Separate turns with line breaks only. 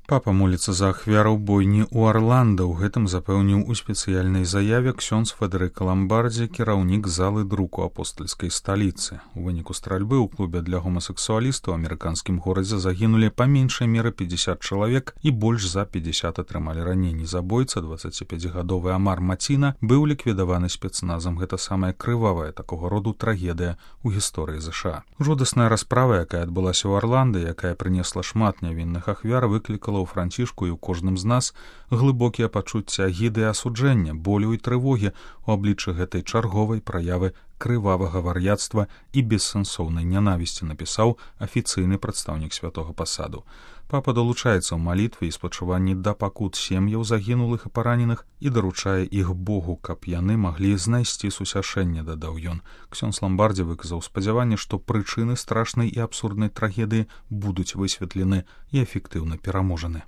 Папа моліцца за ахвяраў бойні ў Арланда. У гэтым запэўніў у спецыяльнай заяве ксёндз Федэрыка Ламбардзі, кіраўнік залы друку апостальскай сталіцы. У выніку стральбы ў клубе для гомасексуалістаў у амерыканскім горадзе загінулі па меншай меры 50 чалавек і больш за 50 атрымалі раненні. Забойца, 25-гадовы Амар Маціна, быў ліквідаваны спецназам. Гэта самая крывавая такога роду трагедыя ў гісторыі ЗША. Жудасная расправа, якая адбылася ў Арланда, якая прынесла шмат нявінных ахвяр, выклікала ў францішку і ў кожным з нас глыбокія пачуцці агіды і асуджэння, болю і трывогі ў абліччы гэтай чарговай праявы крывавага вар'яцтва і бессэнсоўнай нянавісці, напісаў афіцыйны прадстаўнік святога пасаду. Папа далучаецца ў малітве і спачуванні да пакут сем'яў загінулых і параненых і даручае іх Богу, каб яны маглі знайсці сусяшэнне, дадаў ён. Ксёндз Ламбардзі выказаў спадзяванне, што прычыны страшнай і абсурднай трагедыі будуць высветлены і эфектыўна пераможаны.